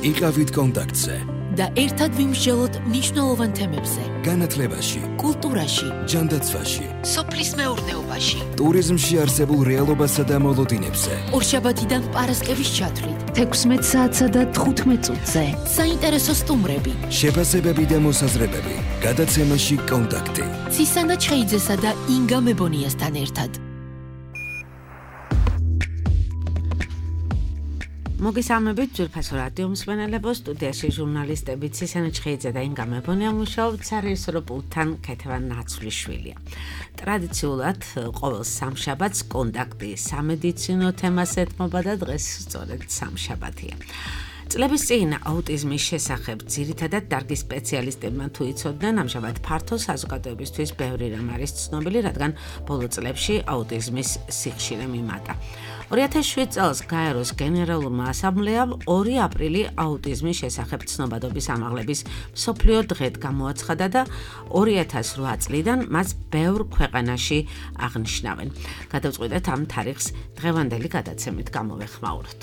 იყავით კონტაქტზე და ერთად ვიმსჯელოთ მნიშვნელოვან თემებზე. განათლებაში, კულტურაში, ჯანდაცვაში, სოფლის მეურნეობაში, ტურიზმში არსებულ რეალობასა და მოლოდინებზე. ორშაბათიდან პარასკევის ჩათვლით 16 საათსა და 15 წუთზე. საინტერესო სტუმრები, შეფასებები და მოსაზრებები. გადაცემაში კონტაქტი. ცისანა ჩხეიძესა და ინგა მებონიასთან ერთად. მოგესალმებით ძვირფასო რადიო მსმენელებო, სტუდიაში ჟურნალისტები ცისანა ჩხეიძე და ინგა მებონია მუშაობთ, სარეჟისორო პულტთან ქეთევან ნაცვლიშვილია. ტრადიციულად ყოველ სამშაბათს კონტაქტი სამედიცინო თემას ეთმობა და დღეს სწორედ სამშაბათია. წლების წინ აუტიზმის შესახებ ძირითადად დარგის სპეციალისტებმა თუ იცოდნენ, ამჟამად ფართო საზოგადოებისთვის ბევრი რამ არის ცნობილი, რადგან ბოლო წლებში აუტიზმის სიხშირე მიმატა. 2007 წელს გაეროს გენერალურმა ასამბლეამ 2 აპრილი აუტიზმის შესახებ ცნობადობის ამაღლების მსოფლიო დღედ გამოაცხადა და 2008 წლიდან მას ბევრ ქვეყანაში აღნიშნავენ. გადავწყვიტეთ ამ თარიღს დღევანდელი გადაცემით გამოვეხმაუროთ.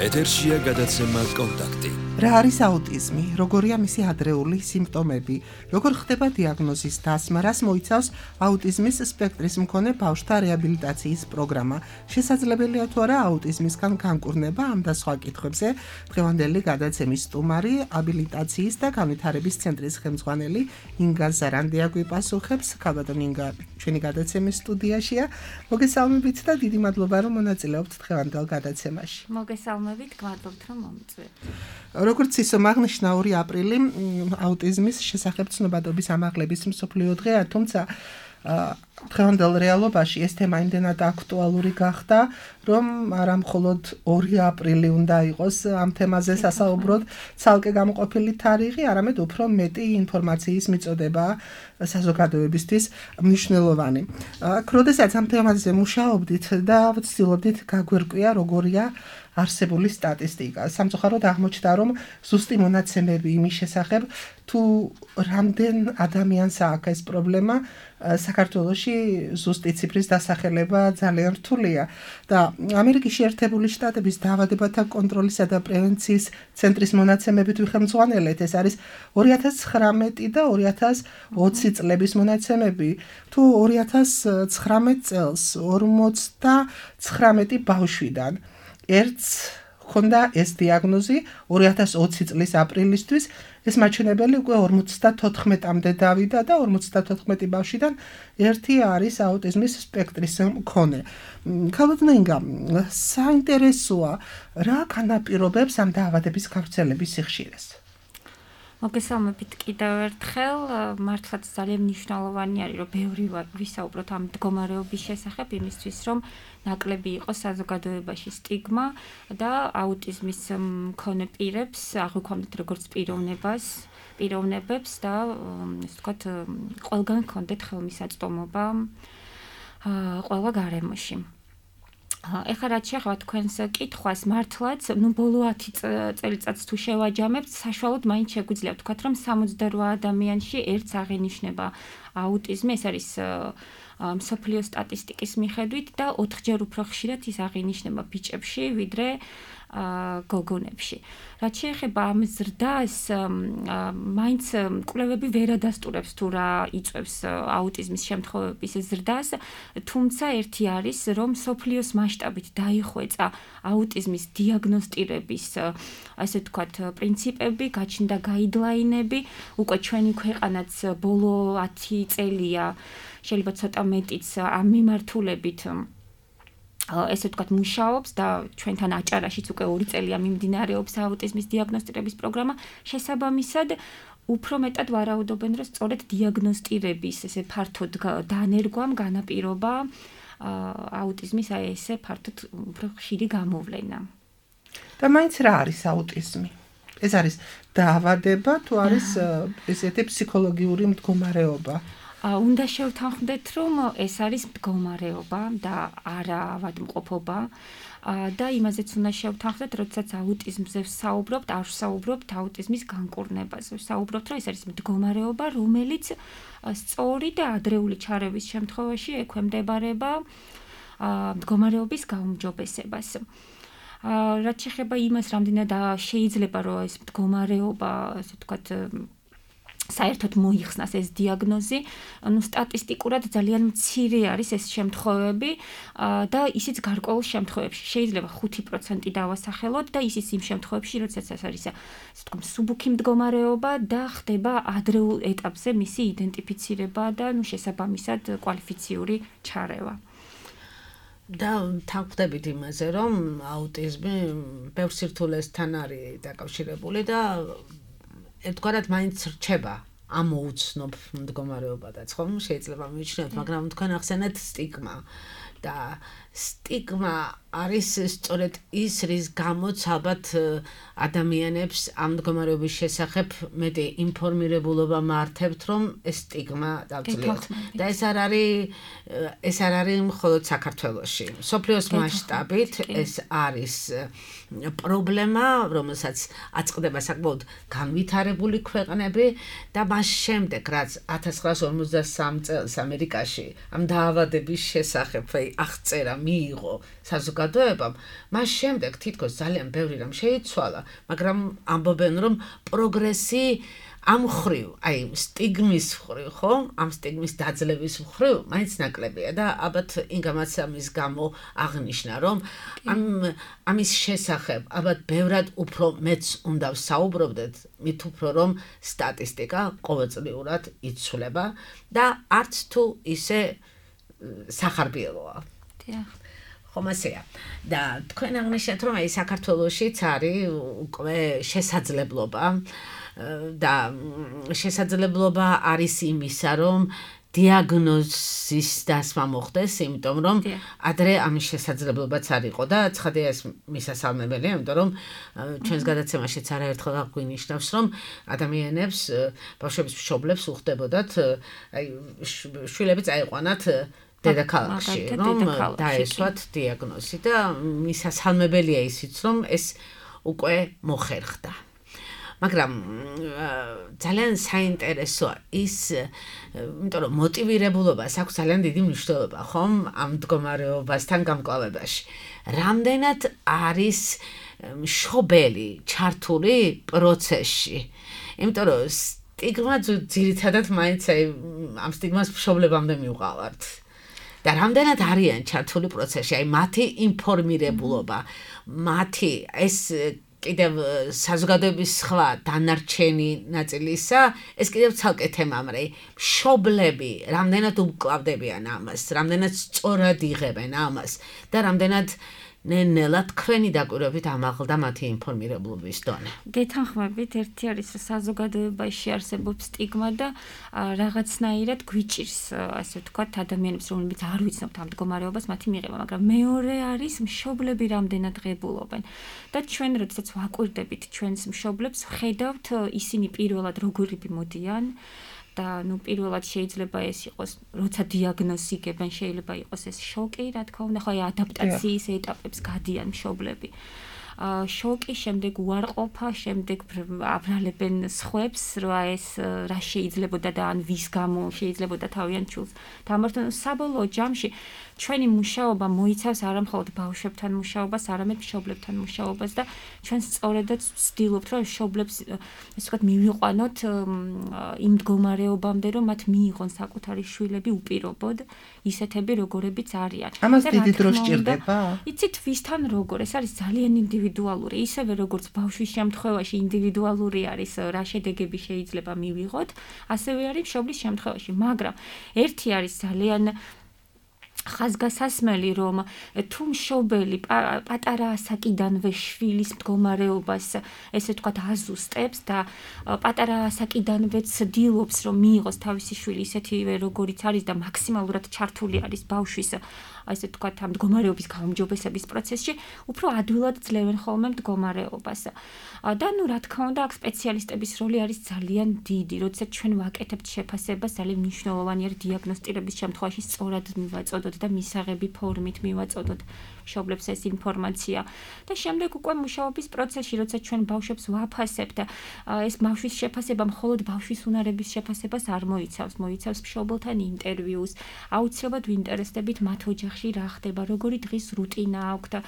ეთერშია გადაცემა კონტაქტი. რა არის აუტიზმი? როგორია მისი ადრეული სიმპტომები? როგორ ხდება დიაგნოზის დასმა? რას მოიცავს აუტიზმის სპექტრის მქონე ბავშვთა რეაბილიტაციის პროგრამა? შესაძლებელია თუ არა აუტიზმისგან განკურნება? ამ და სხვა კითხვებზე დღევანდელი გადაცემის სტუმარი, აბილიტაციის და განვითარების ცენტრის ხელმძღვანელი ინგა ზარანდია გვიპასუხებს. ქალბატონ ინგა ჩვენი გადაცემის სტუდიაშია. მოგესალმებით და დიდი მადლობა რომ მონაწილეობთ დღევანდელ გადაცემაში. მოგესალმებით, გმადლობთ რომ მომწვევთ. როგორც ისო აღნიშნა 2 აპრილი აუტიზმის შესახებ ცნობადობის ამაღლების მსოფლიო დღეა, თუმცა დღევანდელ რეალობაში ეს თემა იმდენად აქტუალური გახდა, რომ არა მხოლოდ 2 აპრილი უნდა იყოს ამ თემაზე სასაუბროდ ცალკე გამოყოფილი თარიღი, არამედ უფრო მეტი ინფორმაციის მიწოდება საზოგადოებისთვის მნიშვნელოვანი. როდესაც ამ თემაზე მუშაობდით და ვცდილობდით გაგვერკვია როგორია არსებული სტატისტიკა. სამწუხაროდ აღმოჩნდა, რომ ზუსტი მონაცემები იმის შესახებ, თუ რამდენ ადამიანს აქვს ეს პრობლემა, საქართველოში ზუსტი ციფრის დასახელება ძალიან რთულია და ამერიკის შეერთებული შტატების დაავადებათა კონტროლისა და პრევენციის ცენტრის მონაცემებით ვიხელმძღვანელეთ. ეს არის 2019 და 2020 წლების მონაცემები. თუ 2019 წელს 59 ბავშვიდან ერთს ჰქონდა ეს დიაგნოზი 2020 წლის აპრილისთვის, ეს მაჩვენებელი უკვე 54-მდე დავიდა და 54 ბავშვიდან ერთი არის აუტიზმის სპექტრის მქონე. ქალბატონ ინგა, საინტერესოა, რა განაპირობებს ამ დაავადების გავრცელების სიხშირეს? მოგესალმებით კიდევ ერთხელ, მართლაც ძალიან მნიშვნელოვანი არის, რომ ბევრი ვისაუბროთ ამ მდგომარეობის შესახებ, იმისთვის, რომ ნაკლები იყოს საზოგადოებაში სტიგმა და აუტიზმის მქონე პირებს აღვიქვამდეთ როგორც პიროვნებებს და ესე ვთქვათ, ყველგან ჰქონდეთ ხელმისაწვდომობა ყველა გარემოში. ეხლა რაც შეეხება თქვენს კითხვას, მართლაც, ბოლო 10 წელიწადს თუ შევაჯამებთ, საშუალოდ მაინც შეგვიძლია ვთქვათ, რომ 68 ადამიანში ერთს აღინიშნება აუტიზმი, ეს არის მსოფლიო სტატისტიკის მიხედვით და 4-ჯერ უფრო ხშირად ის აღინიშნება ბიჭებში, ვიდრე გოგონებში. რაც შეეხება ამ ზრდას, მაინც კვლევები ვერ ადასტურებს თუ რა იწვევს აუტიზმის შემთხვევების ზრდას, თუმცა ერთი არის, რომ მსოფლიოს მასშტაბით დაიხვეწა აუტიზმის დიაგნოსტირების, ასე ვთქვათ, პრინციპები, გაჩნდა გაიდლაინები, უკვე ჩვენი ქვეყანაც ბოლო 10 წელია, შეიძლება ცოტა მეტიც ამ მიმართულებით ესე ვთქვათ მუშაობს და ჩვენთან აჭარაშიც უკვე 2 წელია მიმდინარეობს აუტიზმის დიაგნოსტირების პროგრამა. შესაბამისად, უფრო მეტად ვარაუდობენ, რომ სწორედ დიაგნოსტირების ესე ფართოდ დანერგვამ განაპირობა აუტიზმის ესე ფართოდ უფრო ხშირი გამოვლენა. და მაინც რა არის აუტიზმი? ეს არის დაავადება თუ არის ესეთი ფსიქოლოგიური მდგომარეობა? უნდა შევთანხმდეთ, რომ ეს არის მდგომარეობა და არა ავადმყოფობა და იმაზეც უნდა შევთანხმდეთ, როდესაც აუტიზმზე ვსაუბრობთ, არ ვსაუბრობთ აუტიზმის განკურნებაზე. ვსაუბრობთ, რომ ეს არის მდგომარეობა, რომელიც სწორი და ადრეული ჩარევის შემთხვევაში ექვემდებარება მდგომარეობის გაუმჯობესებას. რაც შეეხება იმას, რამდენად შეიძლება რომ ეს მდგომარეობა, ასე ვთქვათ, საერთოდ მოიხსნას ეს დიაგნოზი, ანუ სტატისტიკურად ძალიან მცირე არის ეს შემთხვევები და ისიც გარკვეულ შემთხვევებში. შეიძლება 5% დავასახელოთ და ისიც იმ შემთხვევებში, როდესაც ეს არის, ასე ვთქვათ, მსუბუქი მდგომარეობა და ხდება ადრეულ ეტაპზე მისი იდენტიფიცირება და შესაბამისად კვალიფიციური ჩარევა. და თან ხვდებით იმაზე, რომ აუტიზმი ბევრ სირთულესთან არის დაკავშირებული და ერთგვარად მაინც რჩება ამოუცნობ მდგომარეობადაც, ხომ? შეიძლება მივიჩნიოთ, მაგრამ თქვენ ახსენეთ სტიგმა და სტიგმა არის სწორედ ის, რის გამოც ალბათ ადამიანებს ამ მდგომარეობის შესახებ მეტი ინფორმირებულობა მართებთ, რომ ეს სტიგმა დავძლიოთ. და ეს არ არის მხოლოდ საქართველოში. მსოფლიოს მასშტაბით ეს არის პრობლემა, რომელსაც აწყდება საკმაოდ განვითარებული ქვეყნები და მას შემდეგ, რაც 1953 წელს ამერიკაში ამ დაავადების შესახებ აღწერა მიიღო საზოგადოებამ, მას შემდეგ თითქოს ძალიან ბევრი რამ შეიცვალა, მაგრამ ამბობენ, რომ პროგრესი ამ ხრივ, აი სტიგმის ხრივ, ხო? ამ სტიგმის დაძლევის ხრივ მაინც ნაკლებია და ალბათ იმგამაც ამის გამო აღნიშნა, რომ ამის შესახებ ალბათ ბევრად უფრო მეც უნდა ვსაუბრობდეთ, მით უფრო რომ სტატისტიკა ყოველწლიურად იცვლება და არც თუ ისე სახარბიელოა. ხომ ასეა. და თქვენ აღნიშნეთ, რომ აი საქართველოშიც არის უკვე შესაძლებლობა და შესაძლებლობა არის იმისა, რომ დიაგნოზის დასმა მოხდეს, იმიტომ რომ ადრე ამის შესაძლებლობაც არ იყო და ცხადია ეს მისასალმებელია, იმიტომ რომ ჩვენს გადაცემაშიც არაერთხელ აღვინიშნავს, რომ ადამიანებს, ბავშვების მშობლებს უხდებოდათ, აი შვილები წაიყვანათ დედაქალაქში, რომ დაესვათ დიაგნოზი და მისასალმებელია ისიც, რომ ეს უკვე მოხერხდა. მაგრამ ძალიან საინტერესოა ის, იმიტომ რომ მოტივირებულობას აქვს ძალიან დიდი მნიშვნელობა, ხომ, ამ მდგომარეობასთან გამკლავებაში. რამდენად არის მშობელი ჩართული პროცესში? იმიტომ რომ სტიგმა ძირითადად მაინც ამ სტიგმას მშობლებამდე მივყავართ. და რამდენად არიან ჩართული პროცესში, აი მათი ინფორმირებულობა, მათი ეს კიდევ საზოგადოების სხვა დანარჩენი ნაწილისა, ეს კიდევ ცალკე თემამრე. მშობლები რამდენად უმკლავდებიან ამას, რამდენად სწორად იღებენ ამას და რამდენად ნელ-ნელა თქვენი დაკვირვებით ამაღლდა მათი ინფორმირებულობის დონე. გეთანხმებით, ერთი არის საზოგადოებაში არსებობს სტიგმა და რაღაცნაირად გვიჭირს, ასე ვთქვათ, ადამიანებს, რომლებიც არ ვიცნობთ ამ მდგომარეობას, მათი მიღება, მაგრამ მეორე არის მშობლები რამდენად ღებულობენ. და ჩვენ როდესაც ვაკვირდებით ჩვენს მშობლებს, ვხედავთ ისინი პირველად როგორი მოდიან და პირველად შეიძლება ეს იყოს, როცა დიაგნოზი იგებენ, შეიძლება იყოს ეს შოკი, რა თქმა უნდა, ხო აი ადაპტაციის ეტაპებს გადიან მშობლები. შოკი, შემდეგ უარყოფა, შემდეგ აბრალებენ სხვებს, რა ეს რა შეიძლებოდა და ან ვის გამო შეიძლებოდა თავიანთ შულს დამართონ. საბოლოო ჯამში ჩვენი მუშაობა მოიცავს არა მხოლოდ ბავშვებთან მუშაობას, არამედ მშობლებთან მუშაობას და ჩვენ სწორედაც ვცდილობთ, რომ მშობლებს ესე ვთქვათ მივიყვანოთ იმ მდგომარეობამდე, რომ მათ მიიღონ საკუთარი შვილები უპირობოდ, ისეთები როგორებიც არიან. ამას დიდი დრო სჭირდება? იცით ვისთან როგორ, ეს არის ძალიან ინდივიდუალური, ისევე როგორც ბავშვის შემთხვევაში ინდივიდუალური არის რა შედეგები შეიძლება მივიღოთ, ასევე არის მშობლის შემთხვევაში, მაგრამ ერთი არის ძალიან ხაზგასასმელი, რომ თუ მშობელი პატარა ასაკიდანვე შვილის მდგომარეობას, ესე ვთქვათ, აზუსტებს და პატარა ასაკიდანვე ცდილობს, რომ მიიღოს თავისი შვილი ისეთივე როგორიც არის და მაქსიმალურად ჩართული არის ბავშვის ასე ვთქვათ, ამ მდგომარეობის გაუმჯობესების პროცესში, უფრო ადვილად ძლევენ ხოლმე მდგომარეობას. და რა თქმა უნდა, აქ სპეციალისტების როლი არის ძალიან დიდი, როდესაც ჩვენ ვაკეთებთ შეფასებას, ძალიან მნიშვნელოვანი არის დიაგნოსტირების შემთხვევაში სწორად მივაწოდოთ და მისაღები ფორმით მივაწოდოთ მშობლებს ეს ინფორმაცია. და შემდეგ უკვე მუშაობის პროცესში, როცა ჩვენ ბავშვებს ვაფასებთ, ეს ბავშვის შეფასება მხოლოდ ბავშვის უნარების შეფასებას არ მოიცავს, მოიცავს მშობელთან ინტერვიუს, აუცილებლად ვინტერესდებით მათ ოჯახის ოჯახში რა ხდება, როგორი დღის რუტინა აქვს და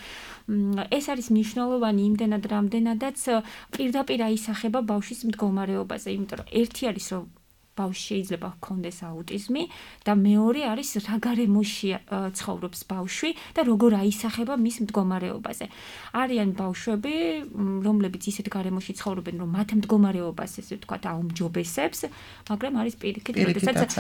ეს არის მნიშვნელოვანი იმდენად, რამდენადაც პირდაპირ აისახება ბავშვის მდგომარეობაზე, იმიტომ რომ ერთი არის რომ ბავშვი შეიძლება ჰქონდეს აუტიზმი და მეორე არის რა გარემოში ცხოვრობს ბავშვი და როგორ აისახება მის მდგომარეობაზე. არიან ბავშვები, რომლებიც ისეთ გარემოში ცხოვრობენ, რომ მათ მდგომარეობას ესე ვთქვათ აუმჯობესებს, მაგრამ არის პირიქით, როდესაც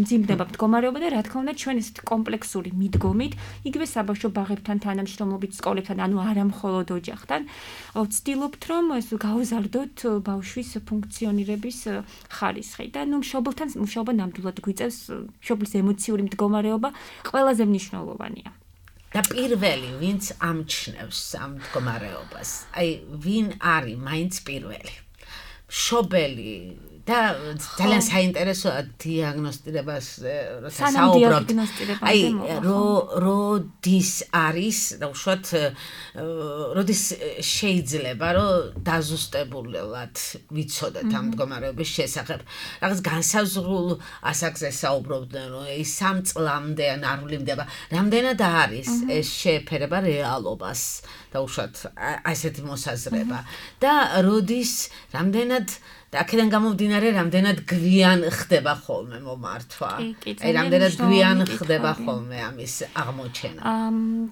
მძიმდება მდგომარეობა და რა თქმა უნდა ჩვენ ესეთ კომპლექსური მიდგომით, იგივე საბავშვო ბაღებთან თანამშრომლობით სკოლებთან, ანუ არა მხოლოდ ოჯახთან, ვცდილობთ რომ გავზარდოთ ბავშვის ფუნქციონირების ხარისხი. და მშობელთან მუშაობა ნამდვილად გვიწევს მშობლის ემოციური მდგომარეობა ყველაზე მნიშვნელოვანია. და პირველი ვინც ამჩნევს ამ მდგომარეობას, აი ვინ არის მაინც პირველი? მშობელი და ძალიან საინტერესოა დიაგნოსტირებას როცა საუბრობთ. აი როდის არის და უშუალოდ როდის შეიძლება რომ დაზუსტებულად ვიცოდეთ ამ მდგომარეობის შესახებ. რაღაც განსაზღვრულ ასაკზე საუბრობდნენ რომ ის 3 წლამდე ან არ ვლინდება. რამდენად არის ეს შეეფერება რეალობას და უშუალოდ ასეთი მოსაზრება და როდის რამდენად და აქედან გამომდინარე რამდენად გვიან ხდება ხოლმე მომართვა. აი რამდენად გვიან ხდება ხოლმე ამის აღმოჩენა.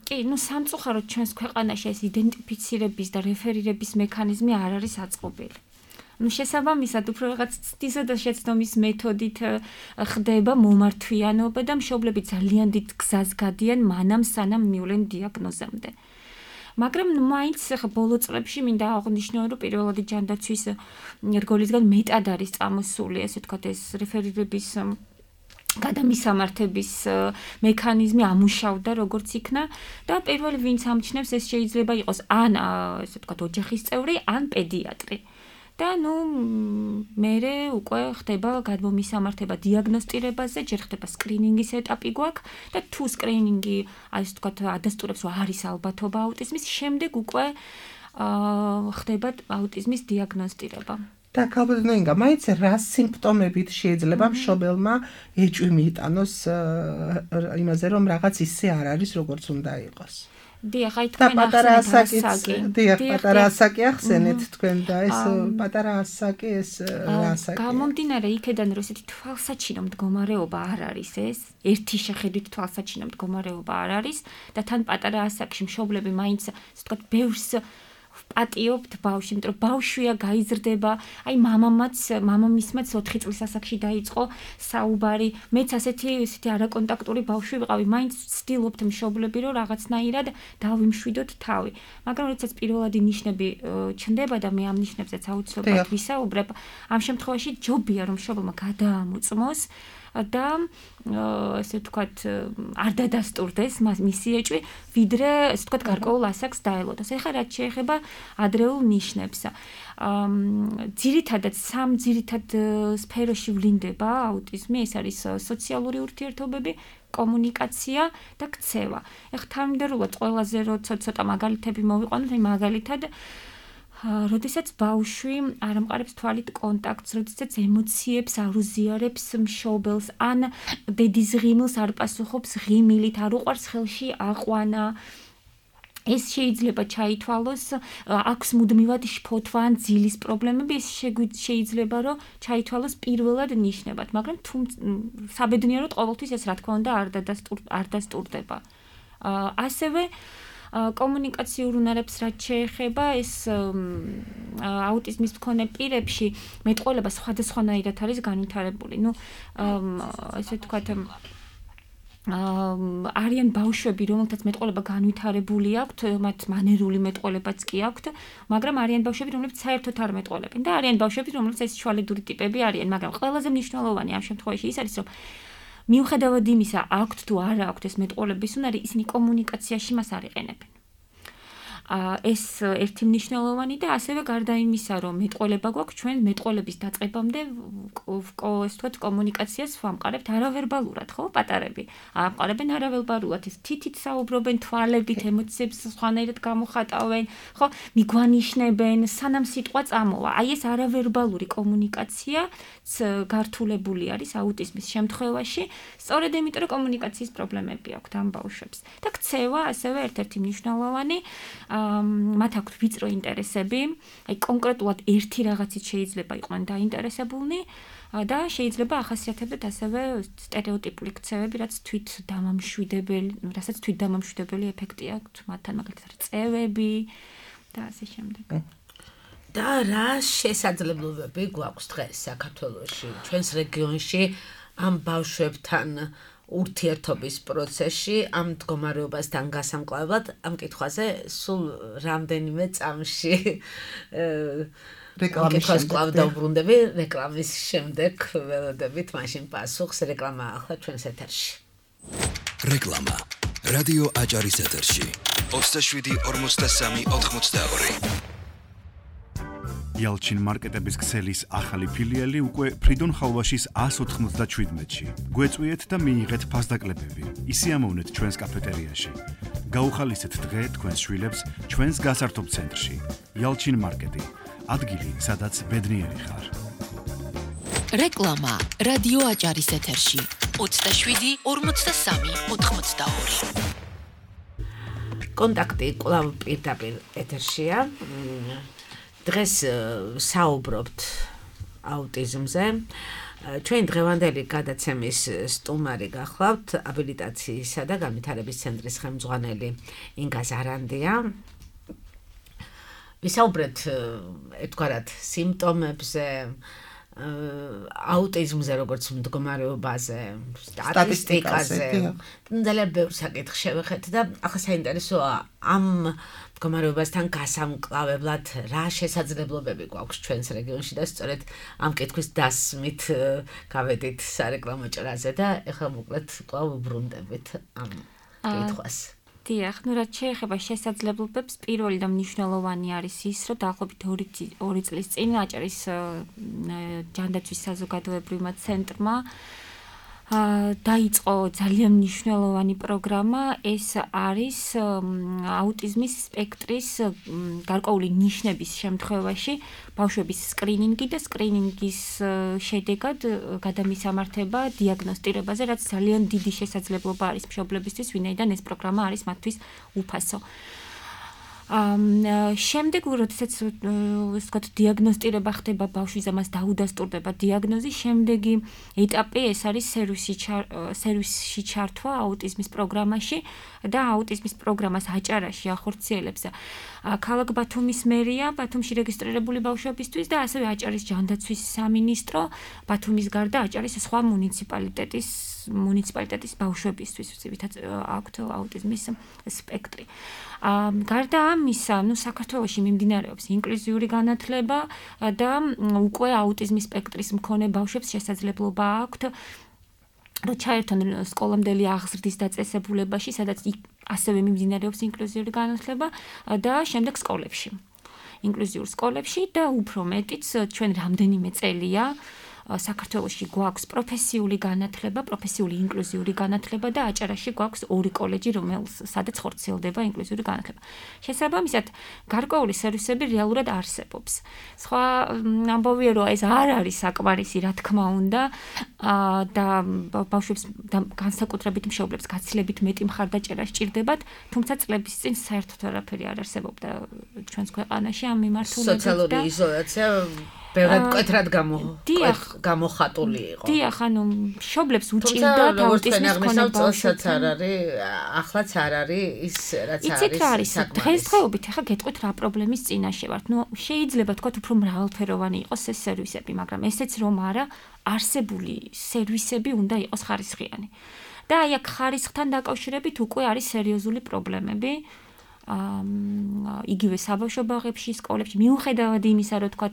კი, სამწუხაროდ ჩვენს ქვეყანაში ეს იდენტიფიცირების და რეფერირების მექანიზმი არ არის აწყობილი. შესაბამისად უფრო რაღაც ცდისა და შეცდომის მეთოდით ხდება მომართვიანობა და მშობლები ძალიან დიდ გზას გადიან მანამ სანამ მივლენ დიაგნოზამდე. მაგრამ მაინც ხა ბოლო წლებში მინდა აღნიშნო რომ პირველადი ჯანდაცვის რგოლისგან მეტად არის წამოსული ესე ვთქვათ ეს რეფერირების გადამისამართების მექანიზმი ამუშავდა როგორც იქნა და პირველი ვინც ამჩნევს ეს შეიძლება იყოს ან ესე ვთქვათ ოჯახის წევრი ან პედიატრი. და მერე უკვე ხდება გადმომისამართება დიაგნოსტირებაზე, ჯერ ხდება სკრინინგის ეტაპი გვაქვს და თუ სკრინინგი ასე ვთქვათ ადასტურებს რომ არის ალბათობა აუტიზმის, შემდეგ უკვე ხდება აუტიზმის დიაგნოსტირება. და ალბათ ინგა, მაინც რა სიმპტომებით შეიძლება მშობელმა ეჭვი მიიტანოს იმაზე რომ რაღაც ისე არ არის როგორც უნდა იყოს. დიახ, აი თქვენ პატარა ასაკი ახსენეთ თქვენ და ეს პატარა ასაკი ეს რა ასაკია? გამომდინარე იქედან რომ ესეთი თვალსაჩინო მდგომარეობა არ არის ეს, ერთი შეხედვით თვალსაჩინო მდგომარეობა არ არის და თან პატარა ასაკში მშობლები მაინც ასე ვთქვათ ბევრს პატიობთ ბავშვი, იმიტომ რომ ბავშვია გაიზრდება, აი მამამისმაც 4 წლის ასაკში დაიწყო საუბარი, მეც ასეთი არაკონტაქტური ბავშვი ვიყავი, მაინც ვცდილობთ მშობლები რომ რაღაცნაირად დავიმშვიდოთ თავი. მაგრამ როდესაც პირველადი ნიშნები ჩნდება და მე ამ ნიშნებზეც აუცილებლად ვისაუბრებ, ამ შემთხვევაში ჯობია რომ მშობელმა გადაამოწმოს და ასე ვთქვათ არ დადასტურდეს მისი ეჭვი, ვიდრე ასე ვთქვათ გარკვეულ ასაკს დაელოდოს. ეხლა რაც შეეხება ადრეულ ნიშნებს. ძირითადად სამ ძირითად სფეროში ვლინდება აუტიზმი, ეს არის სოციალური ურთიერთობები, კომუნიკაცია და ქცევა. ეხლა თანმიმდევრულად ყველაზე ცოტა მაგალითები მოვიყვანოთ, აი მაგალითად როდესაც ბავშვი არ ამყარებს თვალით კონტაქტს, როდესაც ემოციებს არ უზიარებს მშობელს, ან დედის ღიმილს არ პასუხობს ღიმილით, არ უყვარს ხელში აყვანა, ეს შეიძლება ჩაითვალოს, აქვს მუდმივად შფოთვა ან ძილის პრობლემები, ეს შეიძლება რომ ჩაითვალოს პირველად ნიშნებად, მაგრამ საბედნიეროდ ყოველთვის ეს რა თქმა უნდა არ დასტურდება. ასევე კომუნიკაციურ უნარებს რაც შეეხება, ეს აუტიზმის მქონე პირებში მეტყველება სხვადასხვანაირად არის განვითარებული. ესე ვთქვათ არიან ბავშვები, რომელთაც მეტყველება განვითარებული აქვთ, მათ მანერული მეტყველებაც კი აქვთ, მაგრამ არიან ბავშვები, რომლებიც საერთოდ არ მეტყველებენ და არიან ბავშვები, რომლებიც ეს შვალედური ტიპები არიან, მაგრამ ყველაზე მნიშვნელოვანი ამ შემთხვევაში ის არის, რომ მიუხედავად იმისა, აქვთ თუ არა აქვთ ეს მეტყველების უნარი, ისინი კომუნიკაციაში მას არ იყენებენ. ეს ერთი მნიშვნელოვანი და ასევე გარდა იმისა, რომ მეტყველება გვაქვს, ჩვენ მეტყველების დაწყებამდე ეს თქვა კომუნიკაციას ვამყარებთ არავერბალურად, ხო, პატარები. ამყარებენ არავერბალურად, ეს თითით საუბრობენ, თვალებით, ემოციებს სხვანაირად გამოხატავენ, ხო, მიგვანიშნებენ, სანამ სიტყვა წამოვა. აი ეს არავერბალური კომუნიკაცია გართულებული არის აუტიზმის შემთხვევაში, სწორედ იმიტომ, რომ კომუნიკაციის პრობლემები აქვთ ამ ბავშვებს. და ქცევა ასევე ერთ-ერთი მნიშვნელოვანი, მათ აქვთ ვიწრო ინტერესები, აი კონკრეტულად ერთი რაღაცით შეიძლება იყვნენ დაინტერესებულნი და შეიძლება ახასიათებდეთ ასევე სტერეოტიპული ქცევები, რასაც თვით დამამშვიდებელი ეფექტი აქვთ მათთან, მაგალითად წევები და ასე შემდეგ. და რა შესაძლებლობები გვაქვს დღეს საქართველოში, ჩვენს რეგიონში ამ ბავშვებთან ურთიერთობის პროცესში, ამ მდგომარეობასთან გასამკლავებლად, ამ კითხვაზე სულ რამდენიმე წამში რეკლამის დავბრუნდები, რეკლამის შემდეგ ველოდებით მაშინ პასუხს, რეკლამა ახლა ჩვენს ეთერში. რეკლამა რადიო აჭარის ეთერში 27-43-82 იალჩინ მარკეტების ქსელის ახალი ფილიალი უკვე ფრიდონ ხალვაშის 197-ში. გვეწვიეთ და მიიღეთ ფასდაკლებები. ისიამოვნეთ ჩვენს კაფეტერიაში. გაუხალისეთ დღე თქვენს შვილებს ჩვენს გასართობ ცენტრში. იალჩინ მარკეტი. ადგილი, სადაც ბედნიერი ხარ. რეკლამა რადიო აჭარის ეთერში 27-43-82. კონტაქტი კვლავ პირდაპირ ეთერშია. დღეს საუბრობთ აუტიზმზე. ჩვენ დღევანდელი გადაცემის სტუმარი გახლავთ აბილიტაციისა და განვითარების ცენტრის ხელმძღვანელი ინგა ზარანდია. ვისაუბრეთ ერთგვარად სიმპტომებზე, აუტიზმზე, როგორც მდგომარეობაზე, სტატისტიკაზე. ძალიან ბევრ საკითხს შევეხეთ და ახლა საინტერესოა ამ მდგომარეობასთან გასამკლავებლად რა შესაძლებლობები გვაქვს ჩვენს რეგიონში და სწორედ ამ კითხვის დასმით გავედით სარეკლამო ჭრაზე და ეხლა მოკლედ კვლავ ვუბრუნდებით ამ კითხვას. დიახ, ну რაც შეეხება შესაძლებლობებს, პირველი და მნიშვნელოვანი არის ის, რომ დაახლოებით 2 წლის წინ აჭარის ჯანდაცვის საზოგადოებრივმა ცენტრმა დაიწყო ძალიან მნიშვნელოვანი პროგრამა, ეს არის აუტიზმის სპექტრის გარკვეული ნიშნების შემთხვევაში ბავშვების სკრინინგი და სკრინინგის შედეგად გადამისამართება დიაგნოსტირებაზე, რაც ძალიან დიდი შესაძლებლობა არის მშობლებისთვის, ვინაიდან ეს პროგრამა არის მათთვის უფასო. შემდეგ როდესაც ვთქვათ დიაგნოსტირება ხდება ბავშვის ამას დაუდასტურდება დიაგნოზი, შემდეგი ეტაპი ეს არის სერვისში ჩართვა აუტიზმის პროგრამაში და აუტიზმის პროგრამას აჭარაში ახორციელებს ქალაქ ბათუმის მერია, ბათუმში რეგისტრირებული ბავშვებისთვის და ასევე აჭარის ჯანდაცვის სამინისტრო, ბათუმის გარდა აჭარის სხვა მუნიციპალიტეტის ბავშვებისთვის, ვისაც აქვთ აუტიზმის სპექტრი. გარდა ამისა, საქართველოში მიმდინარეობს ინკლუზიური განათლება და უკვე აუტიზმის სპექტრის მქონე ბავშვებს შესაძლებლობა აქვთ რომ ჩაერთონ სკოლამდელი აღზრდის დაწესებულებაში, სადაც ასევე მიმდინარეობს ინკლუზიური განათლება და შემდეგ სკოლებში. ინკლუზიურ სკოლებში და უფრო მეტიც ჩვენ რამდენიმე წელია საქართველოში გვაქვს პროფესიული განათლება, პროფესიული ინკლუზიური განათლება და აჭარაში გვაქვს 2 კოლეჯი, სადაც ხორციელდება ინკლუზიური განათლება. შესაბამისად, გარკვეული სერვისები რეალურად არსებობს. სხვა ამბავია, რომ ეს არ არის საკმარისი, რა თქმა უნდა, და ბავშვებს განსაკუთრებით მშობლებს გაცილებით მეტი მხარდაჭერა სჭირდებათ, თუმცა წლების წინ საერთოდ არაფერი არ არსებობდა ჩვენს ქვეყანაში ამ მიმართულებით. სოციალური იზოლაცია ბევრად მკვეთრად გამოხატული იყო. დიახ, ანუ მშობლებს უჭირდათ აუტიზმის მქონე ბავშვებს. ახლაც არ არის ის რაც არის. იცით რა არის? დღესდღეობით ახლა გეტყვით რა პრობლემის წინაშე ვართ. შეიძლება თქვათ უფრო მრავალფეროვანი იყოს ეს სერვისები, მაგრამ ესეც რომ არა, არსებული სერვისები უნდა იყოს ხარისხიანი. და აი აქ ხარისხთან დაკავშირებით უკვე არის სერიოზული პრობლემები. იგივე საბავშვო ბაღებში, სკოლებში, მიუხედავად იმისა, რომ თქვა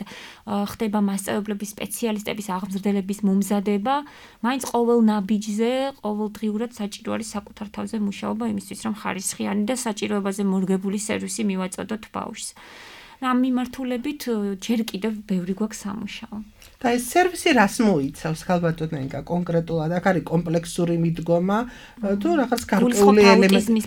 ხდება მასწავლებლების, სპეციალისტების აღმზრდელების მომზადება, მაინც ყოველ ნაბიჯზე, ყოველდღიურად საჭირო არის საკუთარ თავზე მუშაობა იმისთვის, რომ ხარისხიანი და საჭიროებაზე მორგებული სერვისი მივაწოდოთ ბავშვს. ამ მიმართულებით ჯერ კიდევ ბევრი გვაქვს სამუშაო. და ეს სერვისი რას მოიცავს ხალბატონო ნენკა კონკრეტულად აქ არის კომპლექსური მიდგომა თუ რაღაც გარკვეული ელემენტი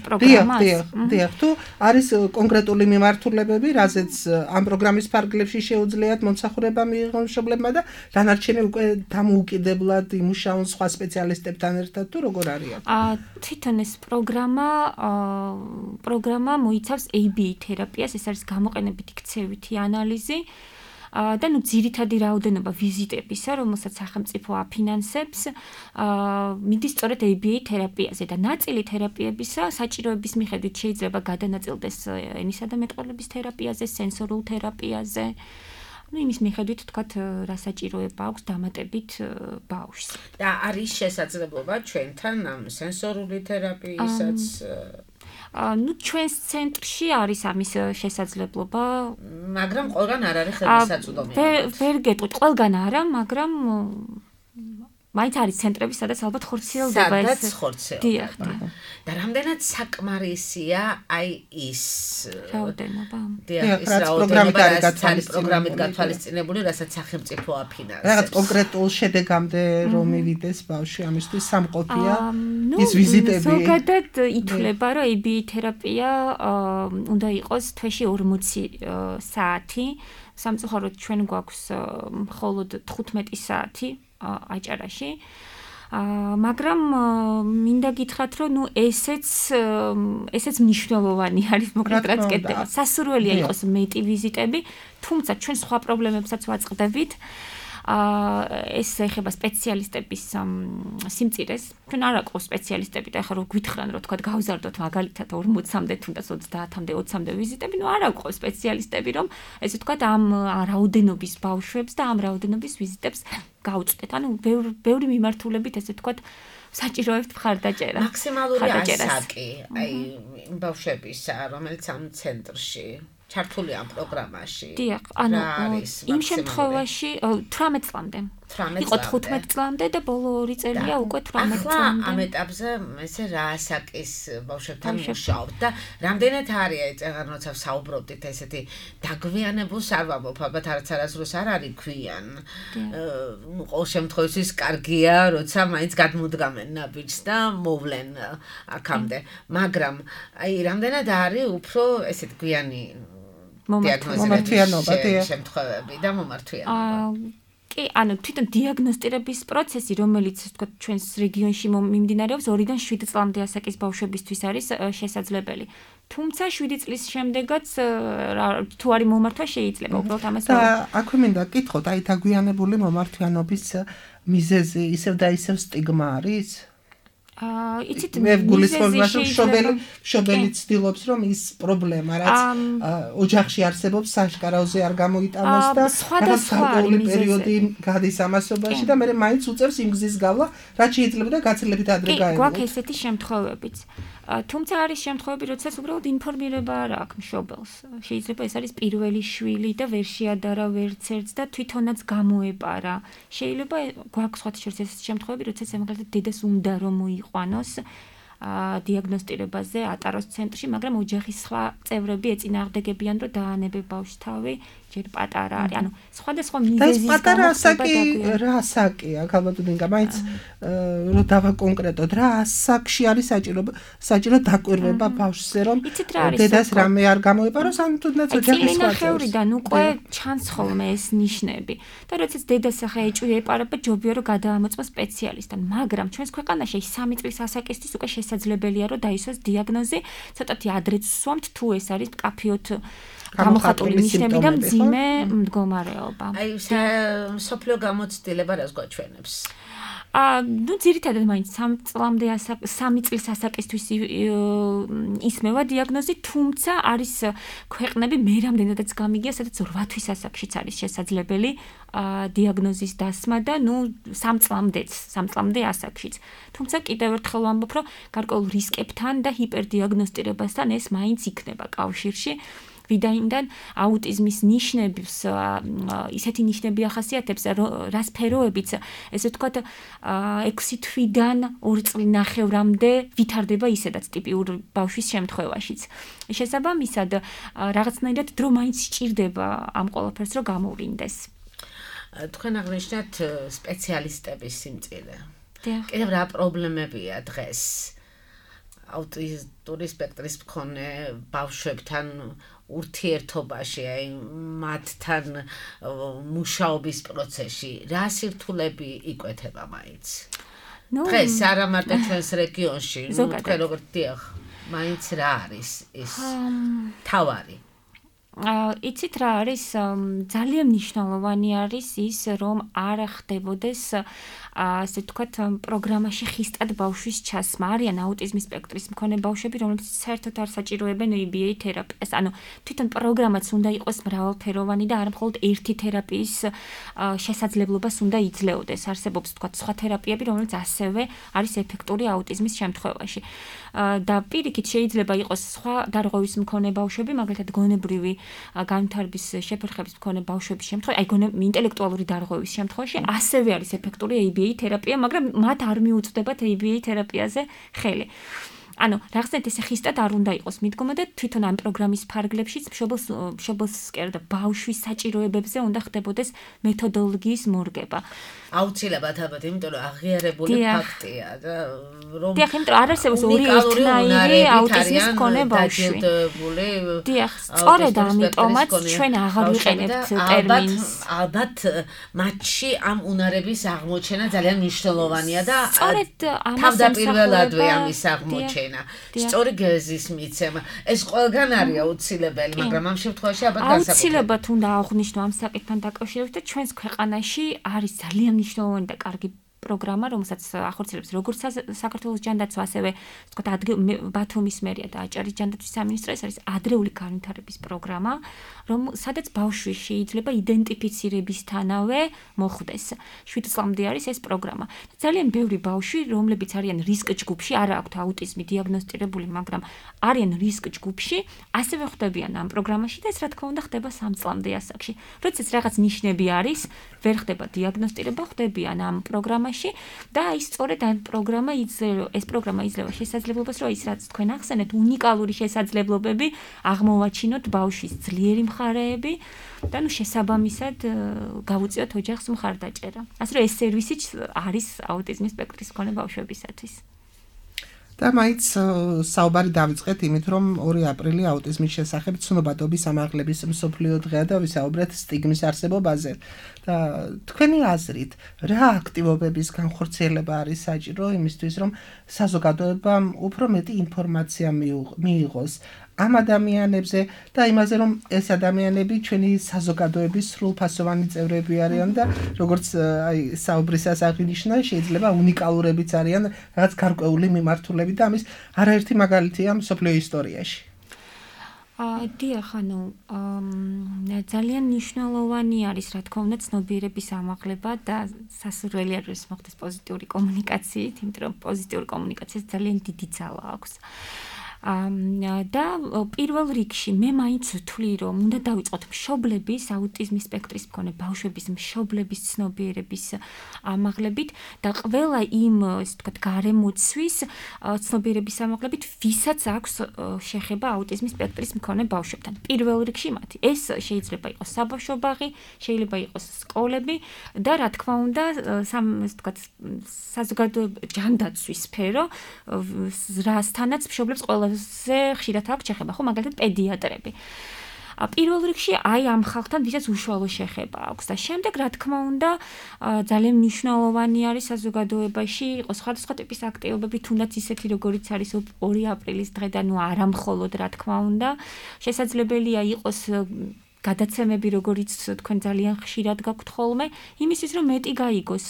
დიახ თუ არის კონკრეტული მიმართულებები რაზეც ამ პროგრამის ფარგლებში შეუძლიათ მომსახურება მიიღონ მშობლებმა და დანარჩენი უკვე დამოუკიდებლად იმუშაონ სხვა სპეციალისტებთან ერთად თუ როგორ არის თვითონ ეს პროგრამა მოიცავს ABA თერაპიას ეს არის გამოყენებითი ქცევითი ანალიზი და ნუ ძირითადი რაოდენობა ვიზიტებისა, რომელსაც სახელმწიფო აფინანსებს, მიდის სწორედ ABA თერაპიაზე და ნაწილი თერაპიებისა საჭიროების მიხედვით შეიძლება გადანაწილდეს ენისა და მეტყველების თერაპიაზე, სენსორულ თერაპიაზე. Ну, იმის მიხედვით თქვათ, რა საჭიროება აქვს დამატებით ბავშვს. და არის შესაძლებლობა ჩვენთან ამ სენსორული თერაპიისაც ну ჩვენს ცენტრში არის ამის შესაძლებლობა, მაგრამ ყველგან არ არის ხელმისაწვდომი. ვერ გეტყვით, ყველგან არა, მაგრამ მაინც არის ცენტრები, სადაც ალბათ ხორციელდება ეს. სადაც ხორციელდება. და რამდენად საკმარისია აი ის რაოდენობა. დიახ, ის რაოდენობა არის პროგრამით გათვალისწინებული, რასაც სახელმწიფო აფინანსებს. რაღაც კონკრეტულ შედეგამდე რომ მივიდეს ბავშვი ამისთვის სამყოფია ის ვიზიტები. ზოგადად ითვლება, რომ ABA თერაპია უნდა იყოს თვეში 40 საათი. სამწუხაროდ ჩვენ გვაქვს მხოლოდ 15 საათი აჭარაში. მაგრამ მინდა გითხრათ, რომ ნუ ესეც მნიშვნელოვანი არის მოკლედ რაც კეთდება. სასურველია იყოს მეტი ვიზიტები, თუმცა ჩვენ სხვა პრობლემებსაც ვაწყდებით. ეს ეხება სპეციალისტების სიმწირეს. ჩვენ არ აყავს სპეციალისტები და ახლა რო გვითხრან რომ თქვა გავზარდოთ მაგალითად 40-მდე თუნდაც 30-მდე 20-მდე ვიზიტები, ნუ არ აყავს სპეციალისტები რომ ესე თქვა ამ რაოდენობის ბავშვებს და ამ რაოდენობის ვიზიტებს გაუწყვეტ. ანუ ბევრი მიმართულებით ესე თქვა საჭიროებთ მხარდაჭერა. მაქსიმალური ასაკი, აი იმ ბავშვებისა, რომელიც ამ ცენტრში ჩართული ამ პროგრამაში. დიახ, ანუ იმ შემთხვევაში 18 წლამდე. იყო 15 წლამდე და ბოლო 2 წელია უკვე 18 წლამდე. ახლა ამ ეტაპზე ესე რა ასაკის ბავშვებთან მუშაობთ და რამდენად არის აი წეგან როცა საუბრობდით ესეთი დაგვიანებულს არ ვამბობ, ალბათ არასდროს არ არის ქვიან. ყოველ შემთხვევაში კარგია, როცა მაინც გადმოდგამენ ნაბიჯს და მოვლენ აქამდე. მაგრამ აი რამდენად არის უფრო ესეთ გვიანი მომართვიანობა შემთხვევები და მომართვიანობა. კი, ანუ თვითონ დიაგნოსტირების პროცესი, რომელიც თქვა ჩვენს რეგიონში მიმდინარეობს 2-დან 7 წლამდე ასაკის ბავშვებისთვის არის შესაძლებელი. თუმცა 7 წლის შემდეგაც თუ არის მომართვა შეიძლება უბრალოდ ამას და აქვე მინდა გკითხოთ, აი დაგვიანებული მომართვიანობის მიზეზი ისევ და ისევ სტიგმა არის? იცით მე გულისხმობ რომ მშობელი ცდილობს რომ ის პრობლემა რაც ოჯახში არსებობს საშკარაოზე არ გამოიტანოს და სხვადასხვა პერიოდი გადის ამასობაში და მე მაინც უწევს იმ გზის გავლა რაც შეიძლება და გაცილებით ადრე გაევლო. გვაქვს ესეთი შემთხვევებიც. თუმცა არის შემთხვევები, როდესაც უბრალოდ ინფორმირება არ აქვს მშობელს. შეიძლება ეს არის პირველი შვილი და ვერ შეადარა ვერცერთს და თვითონაც გამოეპარა. შეიძლება გვაქვს სხვა შესაძლებელი შემთხვევები, როდესაც მაგალითად დედას უნდა რომ მოიყვანოს დიაგნოსტირებაზე ატაროს ცენტრში, მაგრამ ოჯახის სხვა წევრები ეწინააღმდეგებიან, რომ დაანებე ბავშვს თავი, ჯერ პატარა არის. ანუ სხვადასხვა მიზეზის გამო პატარა ასაკი რა ასაკია, ალბათ მაინც რომ დავაკონკრეტოთ, რა ასაკში არის საჭირო დაკვირვება ბავშვზე, რომ დედას რამე არ გამოეპაროს, ან თუნდაც ოჯახის სხვა წევრიდან უკვე ჩანს ხოლმე ეს ნიშნები. და როდესაც დედას ახლა ეჭვი ეპარება, ჯობია რომ გადაამოწმოს სპეციალისტთან, მაგრამ ჩვენს ქვეყანაში 3 წლის ასაკისთვის უკვე შესაძლებელია რომ დაისვას დიაგნოზი, ცოტათი ადრეც ვსვამთ თუ ეს არის მკაფიოდ გამოხატული ნიშნები და მძიმე მდგომარეობა. აი სოფლიო გამოცდილება რას გვაჩვენებს? ნუ ძირითადად მაინც 3 წლის ასაკისთვის ისმევა დიაგნოზი, თუმცა არის ქვეყნები მე რამდენადაც გამიგია, სადაც 8 თვის ასაკშიც არის შესაძლებელი დიაგნოზის დასმა და ნუ 3 წლამდე ასაკშიც. თუმცა კიდევ ერთხელ ვამბობ, რომ გარკვეულ რისკებთან და ჰიპერდიაგნოსტირებასთან ეს მაინც იქნება კავშირში. ვიდაინდან აუტიზმის ნიშნებს ისეთი ნიშნები ახასიათებს, რა სფეროებიც ესე ვთქვათ 6 თვიდან 2 წლინახევრამდე ვითარდება ისედაც ტიპიურ ბავშვის შემთხვევაშიც. შესაბამისად, რაღაცნაირად დრო მაინც სჭირდება ამ ყველაფერს რომ გამოვლინდეს. თქვენ აღნიშნეთ სპეციალისტების სიმწირე. კიდევ რა პრობლემებია დღეს აუტიზმური სპექტრის მქონე ბავშვებთან ურთიერთობაში, აი მათთან მუშაობის პროცესში, რა სირთულები იკვეთება მაინც? დღეს არა მარტო ჩვენს რეგიონში, თქვენ როგორც დიახ, მაინც რა არის ეს თავარი? იცით რა არის, ძალიან მნიშვნელოვანი არის ის, რომ არ ხდებოდეს ასე ვთქვათ, პროგრამაში ხისტად ბავშვის ჩასმა. არიან აუტიზმის სპექტრის მქონე ბავშვები, რომლებიც საერთოდ არ საჭიროებენ EBA თერაპიას. ანუ თვითონ პროგრამაც უნდა იყოს მრავალფეროვანი და არა მხოლოდ ერთი თერაპიის შესაძლებლობას უნდა იძლეოდეს. არსებობს ვთქვათ სხვა თერაპიები, რომელიც ასევე არის ეფექტური აუტიზმის შემთხვევაში. და პირიქით შეიძლება იყოს სხვა დარღვევის მქონე ბავშვები, მაგალითად გონებრივი განვითარების შეფერხების მქონე ბავშვების შემთხვევაში, აი ინტელექტუალური დარღვევის შემთხვევაში ასევე არის ეფექტური EBA თერაპია, მაგრამ მათ არ მიუწვდებათ EBA თერაპიაზე ხელი. ანუ რაღაცნაირად ესე ხისტად არ უნდა იყოს მიდგომა და თვითონ ამ პროგრამის ფარგლებშიც მშობელს და ბავშვის საჭიროებებზე უნდა ხდებოდეს მეთოდოლოგიის მორგება. აუცილებლად ალბათ, იმიტომ რომ აღიარებული ფაქტია და რომ დიახ, იმიტომ რომ არ არსებობს ორი ერთნაირი აუტიზმის მქონე ბავშვი. დიახ, სწორედ ამიტომაც ჩვენ აღარ ვიყენებთ ტერმინს. ალბათ მათში ამ უნარების აღმოჩენა ძალიან მნიშვნელოვანია და სწორედ ამას თავდაპირველადვე ამის აღმოჩენა. სწორი გეზის მიცემა. ეს ყველგან არის აუცილებელი, მაგრამ ამ შემთხვევაში ალბათ განსაკუთრებით. აუცილებლად უნდა აღვნიშნო ამ საკითხთან დაკავშირებით და ჩვენს ქვეყანაში არის ძალიან მნიშვნელოვანი და კარგი პროგრამა, რომელსაც ახორციელებს როგორც საქართველოს ჯანდაცვა, ასევე ვთქვათ ბათუმის მერია და აჭარის ჯანდაცვის სამინისტრო, ეს არის ადრეული განვითარების პროგრამა, სადაც ბავშვი შეიძლება იდენტიფიცირებისთანავე მოხვდეს. 7 წლამდე არის ეს პროგრამა. ძალიან ბევრი ბავშვი, რომლებიც არიან რისკ ჯგუფში, არა აქვთ აუტიზმი დიაგნოსტირებული, მაგრამ არიან რისკ ჯგუფში, ასევე ხვდებიან ამ პროგრამაში და ეს რა თქმა უნდა ხდება 3 წლამდე ასაკში. როდესაც რაღაც ნიშნები არის, ვერ ხდება დიაგნოსტირება, ხვდებიან ამ პროგრამაში და აი სწორედ ამ ეს პროგრამა იძლევა შესაძლებლობას, რომ ის რაც თქვენ ახსენეთ, უნიკალური შესაძლებლობები აღმოვაჩინოთ ბავშვის ძლიერი მხარეები და ნუ შესაბამისად გავუწიოთ ოჯახს მხარდაჭერა. ასე რომ ეს სერვისიც არის აუტიზმის სპექტრის მქონე ბავშვებისათვის. და მაინც საუბარი დავიწყეთ იმით, რომ 2 აპრილი აუტიზმის შესახებ ცნობადობის ამაღლების მსოფლიო დღეა და ვისაუბრეთ სტიგმის არსებობაზე. და თქვენი აზრით, რა აქტივობების განხორციელება არის საჭირო იმისთვის, რომ საზოგადოებამ უფრო მეტი ინფორმაცია მიიღოს ამ ადამიანებზე და იმაზე, რომ ეს ადამიანები ჩვენი საზოგადოების სრულფასოვანი წევრები არიან და როგორც აი საუბრისას აღინიშნა, შეიძლება უნიკალურებიც არიან, რაღაც გარკვეული მიმართულებით და ამის არაერთი მაგალითია მსოფლიო ისტორიაში. დიახ, ანუ ძალიან მნიშვნელოვანი არის, რა თქმა უნდა, ცნობიერების ამაღლება და სასურველი არის მოხდეს პოზიტიური კომუნიკაციით, იმიტომ რომ პოზიტიური კომუნიკაციას ძალიან დიდი ძალა აქვს. და პირველ რიგში მე მაინც ვთვლი, რომ უნდა დავიწყოთ მშობლების აუტიზმის სპექტრის მქონე ბავშვების მშობლების ცნობიერების ამაღლებით და ყველა იმ, ესე ვთქვათ, გარემოცვის ცნობიერების ამაღლებით, ვისაც აქვს შეხება აუტიზმის სპექტრის მქონე ბავშვებთან. პირველ რიგში მათი. ეს შეიძლება იყოს საბავშვო ბაღი, შეიძლება იყოს სკოლები და რა თქმა უნდა, ესე ვთქვათ, საზოგადოების ჯანდაცვის სფერო, რასთანაც მშობლებს ყველა ხშირად აქვს შეხება, ხო, მაგალითად პედიატრები. პირველ რიგში აი ამ ხალხთან ვისაც უშუალო შეხება აქვს და შემდეგ რა თქმა უნდა ძალიან მნიშვნელოვანი არის საზოგადოებაში იყოს სხვადასხვა ტიპის აქტივობები, თუნდაც ისეთი როგორიც არის 2 აპრილის დღე და ნუ არა მხოლოდ რა თქმა უნდა, შესაძლებელია იყოს გადაცემები, როგორიც თქვენ ძალიან ხშირად გაქვთ ხოლმე, იმისთვის რომ მეტი გაიგოს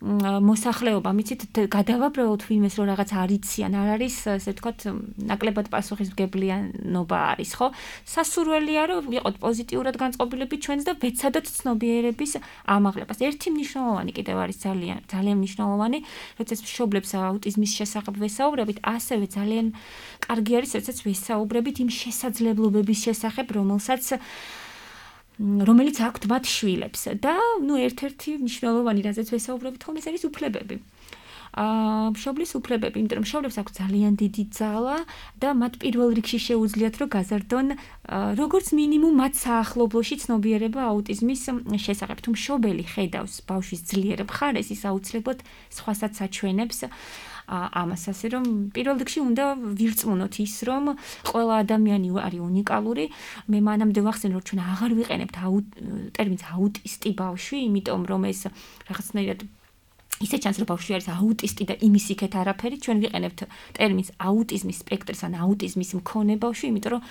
მოსახლეობა, მიცით გადავაბრალოთ ვინმეს რომ რაღაც არ იციან, არ არის ესე ვთქვათ, ნაკლებად პასუხისმგებლიანობა არის, ხო? სასურველია რომ ვიყოთ პოზიტიურად განწყობილები ჩვენს და ვეცადოთ ცნობიერების ამაღლებას. ერთი მნიშვნელოვანი კიდევ არის ძალიან მნიშვნელოვანი, როდესაც მშობლებს აუტიზმის შესახებ ვესაუბრებით, ასევე ძალიან კარგი არის, როდესაც ვესაუბრებით იმ შესაძლებლობების შესახებ, რომელიც აქვთ მათ შვილებს და ერთ-ერთი მნიშვნელოვანი რაზეც ვესაუბრებით ხოლმე ეს არის უფლებები. მშობლის უფლებები, იმიტომ რომ მშობლებს აქვს ძალიან დიდი ძალა და მათ პირველ რიგში შეუძლიათ რომ გაზარდონ როგორც მინიმუმ მათ საახლობლოში ცნობიერება აუტიზმის შესახებ. თუ მშობელი ხედავს ბავშვის ძლიერ მხარეს, ის აუცილებლად სხვასაც აჩვენებს ამას, ასე რომ პირველ რიგში უნდა ვირწმუნოთ ის, რომ ყველა ადამიანი არის უნიკალური. მე მანამდე ვახსენე, რომ ჩვენ აღარ ვიყენებთ ტერმინს აუტისტი ბავშვი, იმიტომ რომ ეს რაღაცნაირად ისე ჩანს, რომ ბავშვი არის აუტისტი და იმის იქეთ არაფერი, ჩვენ ვიყენებთ ტერმინს აუტიზმის სპექტრის ან აუტიზმის მქონე ბავშვი, იმიტომ რომ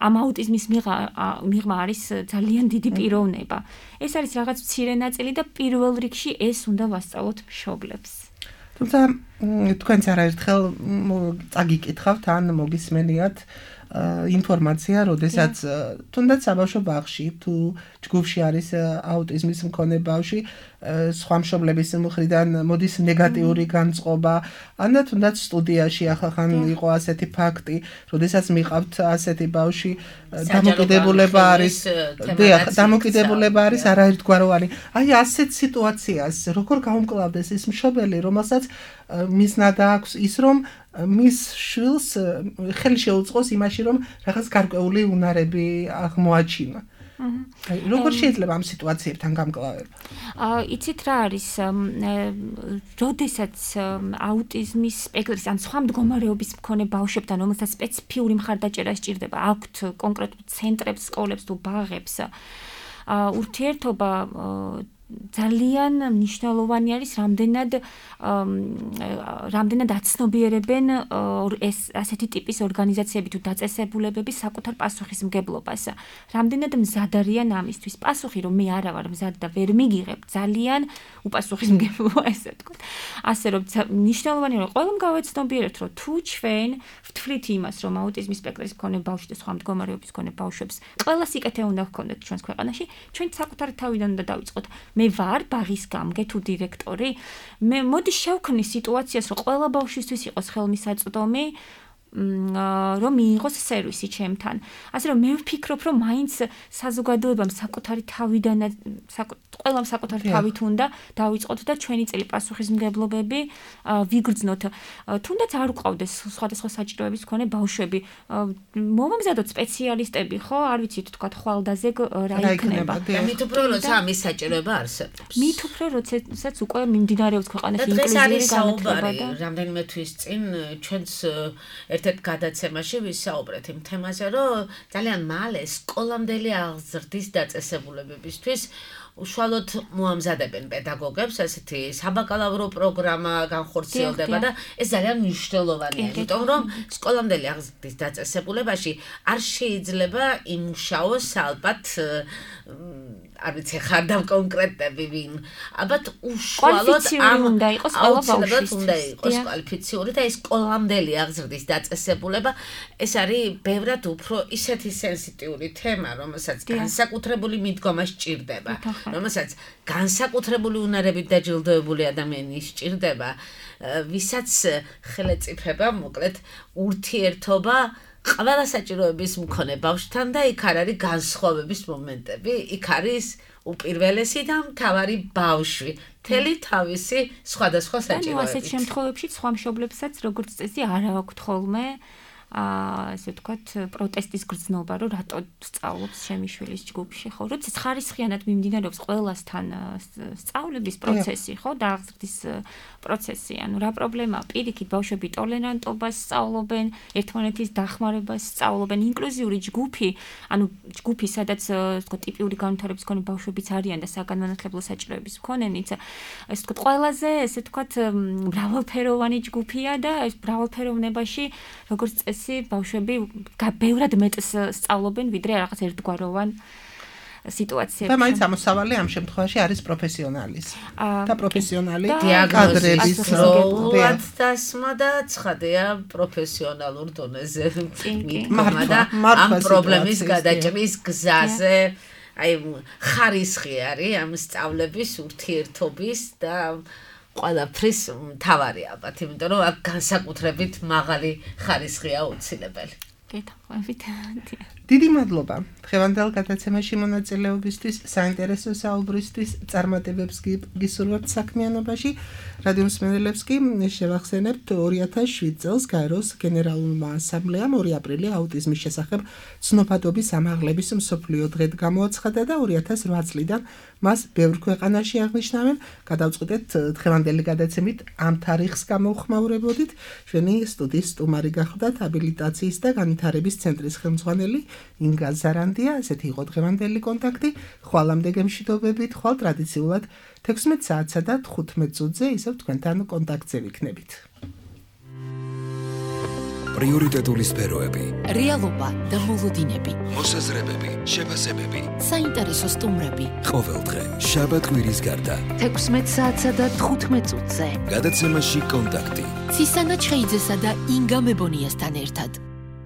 ამ აუტიზმის მიღმა არის ძალიან დიდი პიროვნება. ეს არის რაღაც მცირე ნაწილი და პირველ რიგში ეს უნდა ვასწავლოთ მშობლებს. თუმცა თქვენც არაერთხელ წაგიკითხავთ ან მოგისმენიათ ინფორმაცია, როდესაც თუნდაც საბავშვო ბაღში თუ ჯგუფში არის აუტიზმის მქონე ბავშვი, სხვა მშობლების მხრიდან მოდის ნეგატიური განწყობა, ან თუნდაც სტუდიაში ახალხან იყო ასეთი ფაქტი, როდესაც მიყავთ ასეთი ბავშვი, დამოკიდებულება არის არაერთგვაროვანი. აი ასეთ სიტუაციას როგორ გაუმკლავდეს ის მშობელი, რომელსაც მიზნადა აქვს ის, რომ მის შვილს ხელი შეუწყოს იმაში, რომ რაღაც გარკვეული უნარები აღმოაჩინა. როგორ შეიძლება ამ სიტუაციებთან გამკლავება? იცით რა არის, როდესაც აუტიზმის სპექტრის ან სხვა მდგომარეობის მქონე ბავშვებთან, რომელსაც სპეციფიური მხარდაჭერა სჭირდება, აქვთ კონკრეტულ ცენტრებს, სკოლებს თუ ბაღებს, ურთიერთობა ძალიან მნიშვნელოვანი არის, რამდენად აცნობიერებენ ეს ასეთი ტიპის ორგანიზაციები თუ დაწესებულებები საკუთარ პასუხისმგებლობას. რამდენად მზად არიან ამისთვის. პასუხი რომ მე არა ვარ მზად და ვერ მიგიღებ, ძალიან უპასუხისმგებლოა ესე ვთქვათ. ასე რომ მნიშვნელოვანია რომ ყველამ გავეცნობიერებთ, რომ თუ ჩვენ ვთვლით იმას, რომ აუტიზმის სპექტრის მქონე ბავშვი და სხვა მდგომარეობის მქონე ბავშვებს ყველა სიკეთე უნდა ჰქონდეთ ჩვენს ქვეყანაში, ჩვენ საკუთარი თავიდან უნდა დავიწყოთ. მე ვარ ბაღის გამგე თუ დირექტორი, მე მოდი შევქმნი სიტუაციას, რომ ყველა ბავშვისთვის იყოს ხელმისაწვდომი, რომ მიიღოს სერვისი ჩემთან. ასე რომ მე ვფიქრობ, რომ მაინც საზოგადოებამ საკუთარი თავიდან ყველამ საკუთარი თავით უნდა დავიწყოთ და ჩვენი წელი პასუხისმგებლობები ვიგრძნოთ. თუნდაც არ უყავდეს სხვადასხვა საჭიროების მქონე ბავშვები. მომამზადოთ სპეციალისტები, ხო? არ ვიცით თქვა ხვალდაზე რა იქნება. მით უფრო როცა ამის საჭიროება არსებობს. მით უფრო როდესაც უკვე მიმდინარეობს ქვეყანაში ინკლუზიური განათლება და რამდენიმე თვის წინ ჩვენც ერთ-ერთ გადაცემაში ვისაუბრეთ იმ თემაზე, რომ ძალიან მალე სკოლამდელი აღზრდის დაწესებულებებისთვის უშუალოდ მოამზადებენ პედაგოგებს, ასეთი საბაკალავრო პროგრამა განხორციელდება და ეს ძალიან მნიშვნელოვანია, იმიტომ რომ სკოლამდელი აღზრდის დაწესებულებაში არ შეიძლება იმუშაოს ალბათ არ ვიცი ხარ დავკონკრეტები ვინ, ალბათ უშუალოდ უნდა იყოს ყველა ბავშვისთვის. უნდა იყოს კვალიფიციური და ეს სკოლამდელი აღზრდის დაწესებულება, ეს არის ბევრად უფრო ისეთი სენსიტიური თემა, რომელსაც განსაკუთრებული მიდგომა სჭირდება. რომელსაც განსაკუთრებული უნარებით დაჯილდოებული ადამიანი სჭირდება, ვისაც ხელეწიფება, მოკლედ, ურთიერთობა ყველა საჭიროების მქონე ბავშვთან და იქ არ არის განსხვავების მომენტები, იქ არის უპირველესი და მთავარი ბავშვი, მთელი თავისი სხვადასხვა საჭიროებით. ასეთ შემთხვევებში სხვა მშობლებსაც როგორც წესი არ აქვთ ხოლმე ასე ვთქვათ, პროტესტის გრძნობა, რომ რატო სწავლობს ჩემი შვილის ჯგუფში, ხო? როდესაც ხარისხიანად მიმდინარეობს ყველასთან სწავლების პროცესი, ხო? და აღზრდის პროცესი, ანუ რა პრობლემაა? პირიქით ბავშვები ტოლერანტობას სწავლობენ, ერთმანეთის დახმარებას სწავლობენ, ინკლუზიური ჯგუფი, ანუ ჯგუფი, სადაც ვთქვათ, ტიპიური განვითარების მქონე ბავშვებიც არიან და საგანმანათლებლო საჭიროების მქონენიც, ესე ვთქვათ, ყველაზე, ესე ვთქვათ, მრავალფეროვანი ჯგუფია და ეს მრავალფეროვნებაში, როგორც უპირატესი ბავშვები ბევრად მეტს სწავლობენ ვიდრე რაღაც ერთგვაროვან სიტუაციებში. და მაინც ამოსავალი ამ შემთხვევაში არის პროფესიონალის. და პროფესიონალი დიაგნოზის როლად დასმა და ცხადია პროფესიონალურ დონეზე მითქმა და ამ პრობლემის გადაჭრის გზაზე აი ხარისხი არის ამ სწავლების ურთიერთობის და ყველაფრის მთავარი ალბათ, იმიტომ რომ აქ განსაკუთრებით მაღალი ხარისხია აუცილებელი. გეთხოვებით. დიდი მადლობა დღევანდელ გადაცემაში მონაწილეობისთვის, საინტერესო საუბრისთვის, წარმატებებს გისურვებთ საქმიანობაში. რადიო მსმენელებს კი შევახსენებთ 2007 წელს გაეროს გენერალურმა ასამბლეამ 2 აპრილი აუტიზმის შესახებ ცნობადობის ამაღლების მსოფლიო დღედ გამოაცხადა და 2008 წლიდან მას ბევრ ქვეყანაში აღნიშნავენ. გადავწყვიტეთ დღევანდელი გადაცემით ამ თარიღს გამოვხმაურებოდით. ჩვენი სტუდიის სტუმარი გახლდათ აბილიტაციის და განვითარების ცენტრის ხელმძღვანელი ინგა ზარანდია. ესეთი იყო დღევანდელი კონტაქტი. ხვალამდე გემშვიდობებით, ხვალ ტრადიციულად 16 საათსა და 15 წუთზე ისევ თქვენთან კონტაქტზე ვიქნებით. პრიორიტეტული სფეროები, რეალობა და მოლოდინები, მოსაზრებები, შეფასებები, საინტერესო სტუმრები. ყოველდღე შაბათ-კვირის გარდა 16 საათსა და 15 წუთზე. გადაცემაში კონტაქტი. ცისანა ჩხეიძესა და ინგა მებონიასთან ერთად.